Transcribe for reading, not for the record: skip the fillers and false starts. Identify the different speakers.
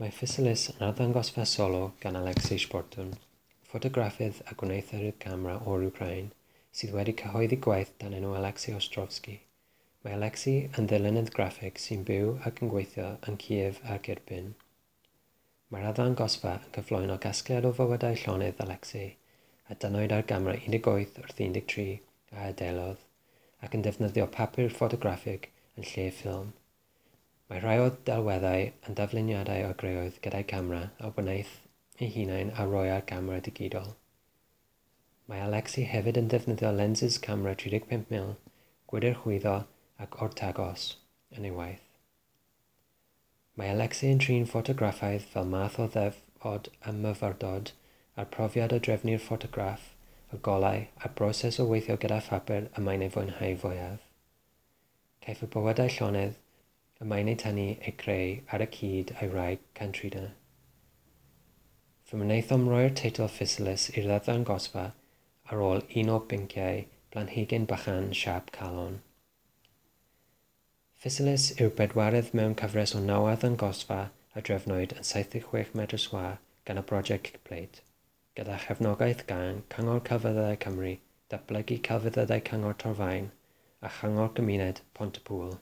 Speaker 1: Mae Physalis yn arddangosfa solo gan Alexei Shportun, ffotograffydd a gwneuthurwr camera o'r Wcráin, sydd wedi cyhoeddi gwaith dan enw Alexei Ostrovsky. Mae Alexei yn ddylunydd graffig sy'n byw ac yn gweithio yn Kiev ac Irpin. Mae'r arddangosfa yn cyflwyno casgliad o fywydau llonydd Alexei, a dynnwyd ar gamera 18 wrth 13 a adeilodd, ac yn defnyddio papur ffotograffig yn lle ffilm. Mae rhai o'r delweddau yn dafluniadau o greoedd gyda'i camera a wnaeth ei hunain a roi ar gamera digidol. Mae Alexei hefyd yn defnyddio lensys camera 35mm, gwydr chwyddo ac ortagos yn ei waith. Mae Alexei yn trin ffotograffiaeth fel math o ddefod a myfyrdod a'r profiad o drefnu'r ffotograff, y golau a'r broses o weithio gyda phapur y mae'n ei fwynhau fwyaf. Caiff y bywydau llonydd y mae'n eu tynnu eu creu ar y cyd â'i wraig Katrina. Fe wnaethom roi'r teitl Physalis i'r arddangosfa ar ôl un o bynciau planhigyn bychan siâp calon. Physalis yw'r bedwaredd mewn cyfres o naw arddangosfa a drefnwyd yn 76 metr sgwâr gan y Brosiect Kickplate, gyda chefnogaeth gan Cyngor Celfyddydau Cymru, Datblygu Celfyddydau Cyngor Torfaen a Chyngor Gymuned Pontypŵl.